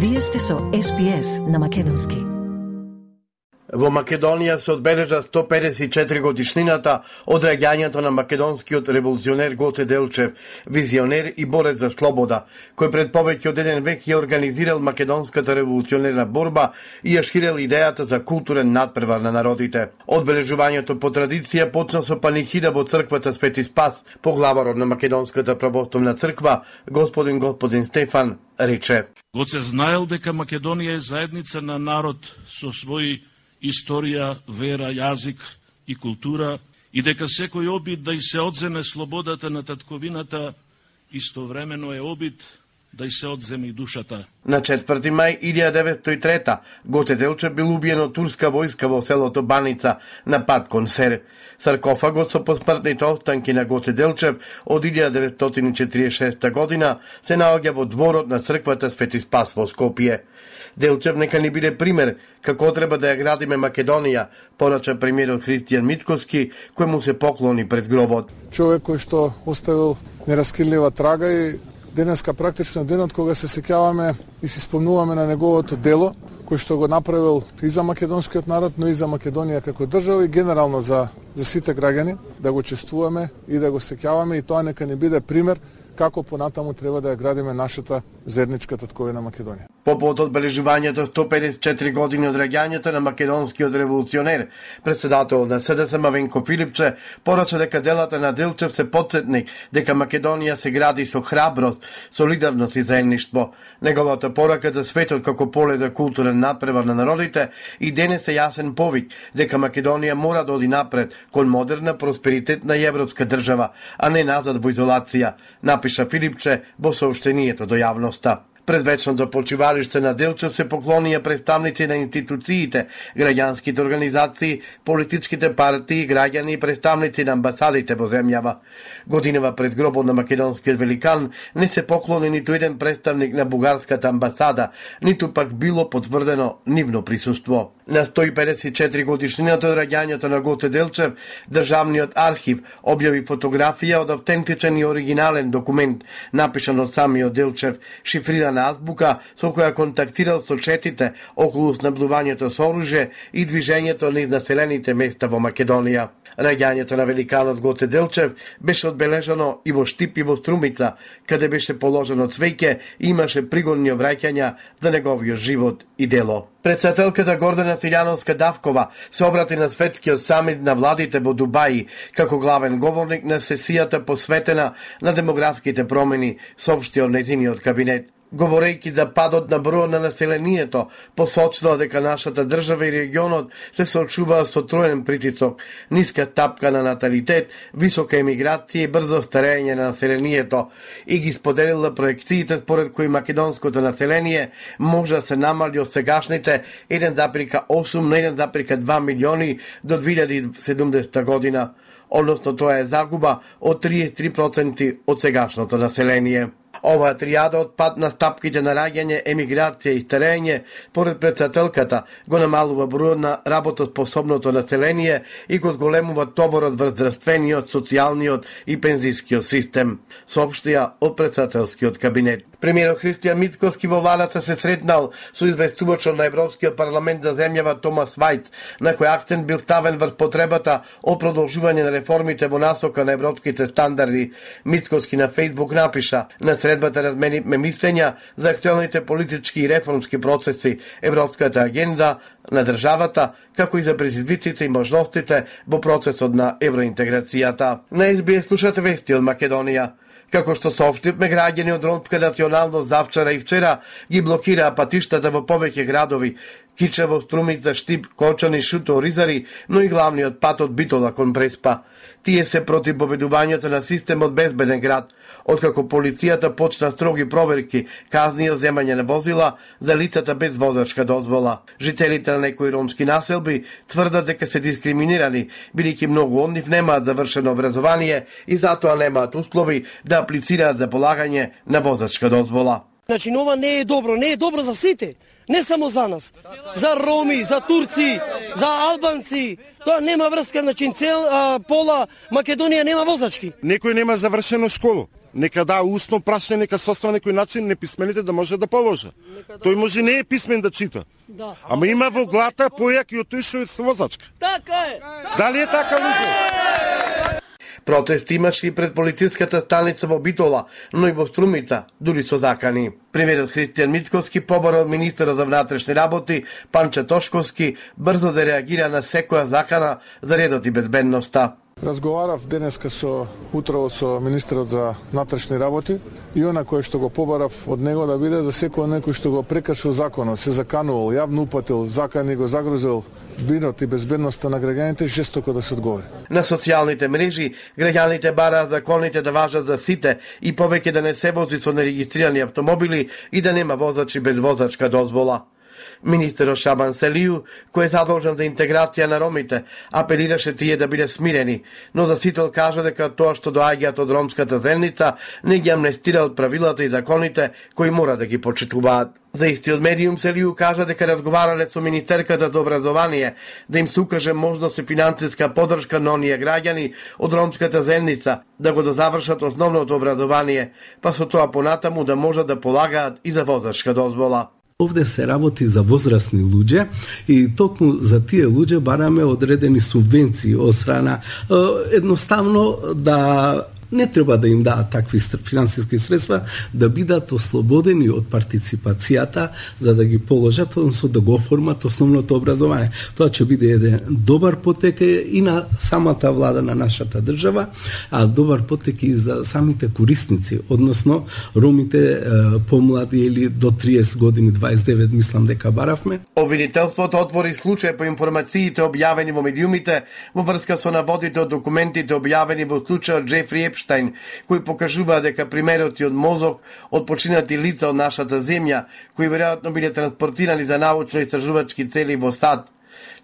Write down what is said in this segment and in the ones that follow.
Вие сте со SPS на македонски. Во Македонија се одбележа 154 годишнината од раѓањето на македонскиот револуционер Гоце Делчев, визионер и борец за слобода, кој пред повеќе од еден век ја организирал македонската револуционерна борба и ја ширел идејата за културен надпревар на народите. Одбележувањето по традиција почна со панихида во црквата Свети Спас. Поглаварот на Македонската православна црква, господин Стефан, рече: Гоце знаел дека Македонија е заедница на народ со свој историја, вера, јазик и култура и дека секој обид да и се одземе слободата на татковината истовремено е обид да и се одземе и душата. На 4 мај 1903 Гоце Делчев бил убиен од турска војска во селото Баница на пат кон Сер. Саркофагот со посмртните останки на Гоце Делчев од 1946 година се наоѓа во дворот на црквата Свети Спас во Скопје. Делчев нека ни биде пример како треба да ја градиме Македонија, порача премиерот Христијан Мицкоски, кој му се поклони пред гробот. Човек кој што оставил нераскинлива трага и денеска практично денот кога се сеќаваме и се спомнуваме на неговото дело, кој што го направил и за македонскиот народ, но и за Македонија како држава и генерално за сите граѓани, да го чествуваме и да го сеќаваме, и тоа нека ни биде пример како понатаму треба да ја градиме нашата заедничка татковина Македонија. По повод одбележувањето 154 години од раѓањето на македонскиот револуционер, председател на СДСМ Мавенко Филипче порача дека делата на Делчев се потсетник дека Македонија се гради со храброст, солидарност и заедништво. Неговата порака за светот како поле за културен напревар на народите и денес е јасен повик дека Македонија мора да оди напред кон модерна, просперитетна и европска држава, а не назад во изолација, напиша Филипче во соопштението до јавноста. Пред вечното почивалиште на Делчев се поклонија представници на институциите, граѓанските организации, политичките партии, граѓани и представници на амбасадите во земјава. Годинава пред гробот на македонскиот великан не се поклони ниту еден представник на бугарската амбасада, ниту пак било потврдено нивно присуство. На 154 годишнината од раѓањето на Гоце Делчев, Државниот архив објави фотографија од автентичен и оригинален документ, напишан од самиот Делчев, шифрирана азбука со која контактирал со четите околу снабдувањето со оружје и движењето низ населените места во Македонија. Раѓањето на великанот Гоце Делчев беше одбележано и во Штип и во Струмица, каде беше положено цвеќе и имаше пригодни обраќања за неговиот живот и дело. Председателката Гордана Силјановска Давкова се обрати на светскиот самит на владите во Дубај како главен говорник на сесијата посветена на демографските промени, соопшти од нејзиниот кабинет. Говорејќи за падот на бројот на населението, посочила дека нашата држава и регионот се соочуваат со троен притисок, ниска стапка на наталитет, висока емиграција и брзо старење на населението, и ги споделила проекциите според кои македонското население може да се намали од сегашните 1,8 на 1,2 милиони до 2070 година, односно тоа е загуба од 33% од сегашното население. Оваа тријада од пад на стапките на раѓање, емиграција и старење, поред председателката, го намалува бројот на работоспособното население и го големува товарот врз здравствениот, социјалниот и пензискиот систем, соопштија од председателскиот кабинет. Премиерот Христијан Мицкоски во владата се сретнал со известувачот на Европскиот парламент за земјава Томас Вајц, на кој акцент бил ставен врз потребата од продолжување на реформите во насока на европските стандарди. Мицкоски на Фејсбук напиша: на средбата разменивме мислења за актуелните политички и реформски процеси, европската агенда на државата, како и за предизвиците и можностите во процесот на евроинтеграцијата. На СБС слушате вести од Македонија. Како што соопштивме, граѓани од ромска националност завчера и вчера ги блокираа патиштата во повеќе градови: Кичево, Струмица, Штип, Кочани, Шуто, Ризари, но и главниот пат од Битола кон Преспа. Тие се против поведувањето на системот безбеден град, откако полицијата почна строги проверки, казни и земање на возила за лицата без возачка дозвола. Жителите на некои ромски населби тврдат дека се дискриминирани, бидејќи многу од нив немаат завршено образование и затоа немаат услови да аплицираат за полагање на возачка дозвола. Значи, ова не е добро за сите. Не само за нас, за роми, за турци, за албанци. Тоа нема врска, значи пола Македонија нема возачки. Некој нема завршено школу. нека да усно прашање, нека состава некој начин неписмените да може да положа. Тој може не е писмен да чита. Да. Ама има во глата појак и од тој што е возачка. Така е. Дали е така, луѓе? Протест имаше и пред полициската станица во Битола, но и во Струмица, дури со закани. Премиерот Христијан Мицковски побара од министерот за внатрешни работи Панче Тошковски брзо да реагира на секоја закана за редот и безбедноста. Разговарав денеска утрово со министерот за внатрешни работи и она кој што го побарав од него да биде за секој некој што го прекршил законот, се заканувал, јавно упатил, закани го загрозил бинот и безбедноста на граѓаните, жестоко да се одговори. На социјалните мрежи граѓаните бараат законите да важат за сите и повеќе да не се вози со нерегистрирани автомобили и да нема возачи без возачка дозвола. Министерот Шабан Селију, кој е задолжен за интеграција на ромите, апелираше тие да биде смирени, но Засител кажа дека тоа што доаѓаат од ромската заедница не ги амнестира од правилата и законите кои мора да ги почитуваат. За истиот медиум Селију кажа дека разговарале со Министерката за образование да им се укаже можност и финансиска поддршка на оние граѓани од ромската заедница да го дозавршат основното образование, па со тоа понатаму да можат да полагаат и за возачка дозвола. Овде се работи за возрастни луѓе и токму за тие луѓе бараме одредени субвенции од страна едноставно да не треба да им даат такви финансиски средства, да бидат ослободени од партиципацијата за да ги положат, односно да го оформат основното образование. Тоа ќе биде еден добар потек и на самата влада на нашата држава, а добар потек и за самите корисници, односно ромите помлади или до 30 години, 29 мислам дека баравме. Обвинителството отвори случај по информациите објавени во медиумите во врска со наводите од документите објавени во случајот Джефри Епштайн, кои покажуваат дека примероти од мозок од починати лица од нашата земја, кои веројатно биле транспортирани за научно-истражувачки цели во САД.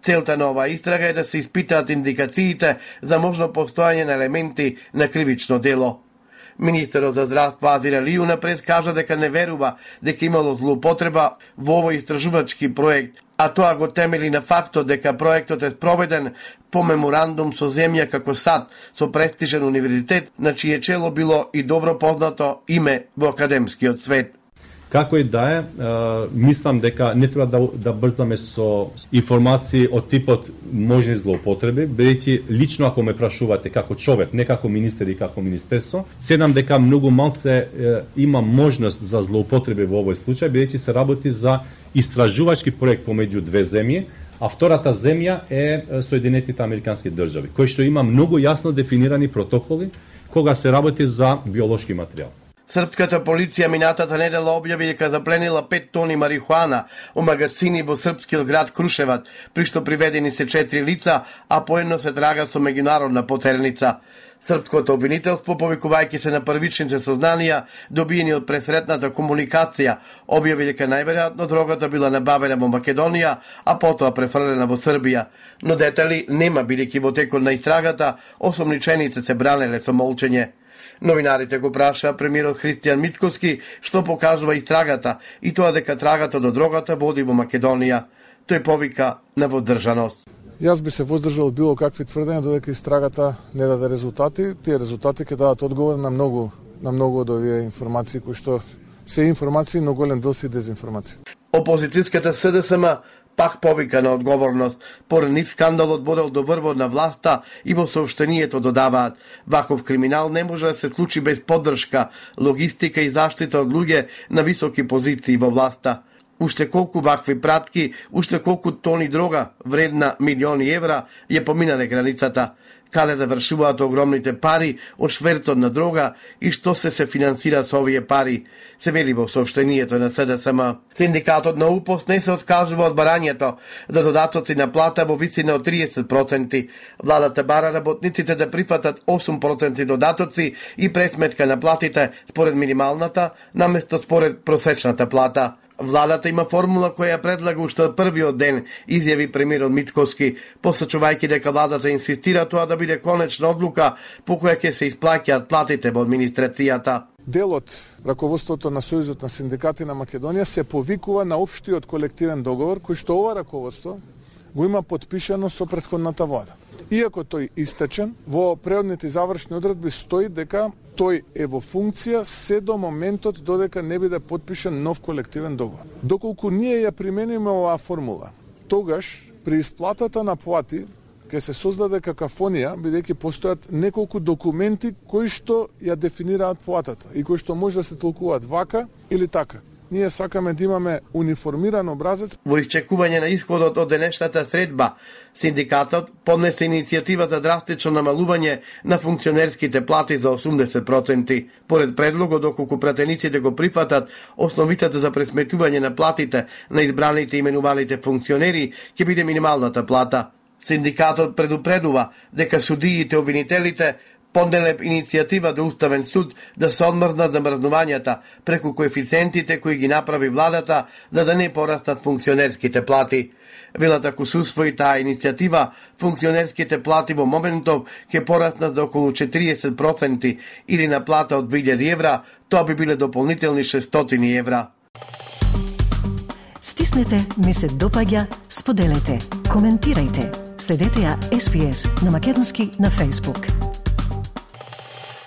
Целта на оваа истрага е да се испитаат индикациите за можно постојање на елементи на кривично дело. Министерот за здравство Азир Алију напред кажа дека не верува дека имало злоупотреба во овој истражувачки проект, а тоа го темели на фактот дека проектот е спроведен по меморандум со земја како САД, со престижен универзитет, на чие чело било и добро познато име во академскиот свет. Како и да е, мислам дека не треба да брзаме со информации од типот можни злоупотреби, бидејќи лично ако ме прашувате како човек, не како министер и како министерство, седам дека многу малце има можност за злоупотреби во овој случај, бидејќи се работи за истражувачки проект помеѓу две земји, а втората земја е Соединетите Американски држави, кој што има многу јасно дефинирани протоколи кога се работи за биолошки материјал. Српската полиција минатата недела објави дека запленила 5 тони марихуана у магазини во српскиот град Крушеваc, при што приведени се 4 лица, а поедно се трага со меѓународна потерница. Српското обвинителство, повикувајќи се на првичните сознанија добиени од пресретната комуникација, објави дека најверојатно дрогата била набавена во Македонија, а потоа префрлена во Србија. Но детали нема, бидејќи во текот на истрагата осомничените се бранеле со молчење. Новинарите го праша премиерот Христијан Мицковски што покажува истрагата и тоа дека трагата до дрогата води во Македонија. Тој повика на воздржаност. Јас би се воздржал било какви тврдења додека истрагата не даде резултати. Тие резултати ќе дадат одговор на многу од овие информации кои што се информации, но голем дел се дезинформации. Опозицијската СДСМ пак повика на одговорност. Поред нив скандалот бодел до врвот на власта и во соопштението додаваат: ваков криминал не може да се случи без поддршка, логистика и заштита од луѓе на високи позиции во власта. Уште колку вакви пратки, уште колку тони дрога вредна милиони евра ја поминале границата. Каде да вршуваат огромните пари од швертот на дрога и што се финансира со овие пари, се вели во соопштението на СДСМ. Синдикатот на УПОС не се откажува од барањето за додатоци на плата во висина од 30%. Владата бара работниците да прифатат 8% додатоци и пресметка на платите според минималната, наместо според просечната плата. Владата има формула која ја предлага уште од првиот ден, изјави премиерот Мицковски, посочувајќи дека владата инсистира тоа да биде конечна одлука по која ќе се исплаќаат платите во администрацијата. Дел од раководството на Сојузот на синдикати на Македонија се повикува на општиот колективен договор кој што ова раководство го има потпишано со претходната влада. Иако тој истечен, во преодните завршни одредби стои дека тој е во функција се до моментот додека не биде подпишан нов колективен договор. Доколку ние ја примениме оваа формула, тогаш при исплатата на плати ќе се создаде какафонија, бидејќи постојат неколку документи кои што ја дефинираат платата и кои што може да се толкуваат вака или така. Ние сакаме да имаме униформиран образец. Во исчекување на исходот од денешната средба, синдикатот поднесе иницијатива за драстично намалување на функционерските плати за 80%. Поред предлогот, доколку пратениците го прифатат, основицата за пресметување на платите на избраните и именуваните функционери ќе биде минималната плата. Синдикатот предупредува дека судиите и обвинителите поднеле иницијатива до Уставен суд да се одмрзнат замрзнувањата преку коефициентите кои ги направи владата за да не порастат функционерските плати. Велат ако се усвои таа иницијатива, функционерските плати во моментов ќе пораснат за околу 40% или на плата од 2000 евра, тоа би биле дополнителни 600 евра. Стиснете, ми се допаѓа, споделете, коментирајте. Следете ја SPS на Македонски на Facebook.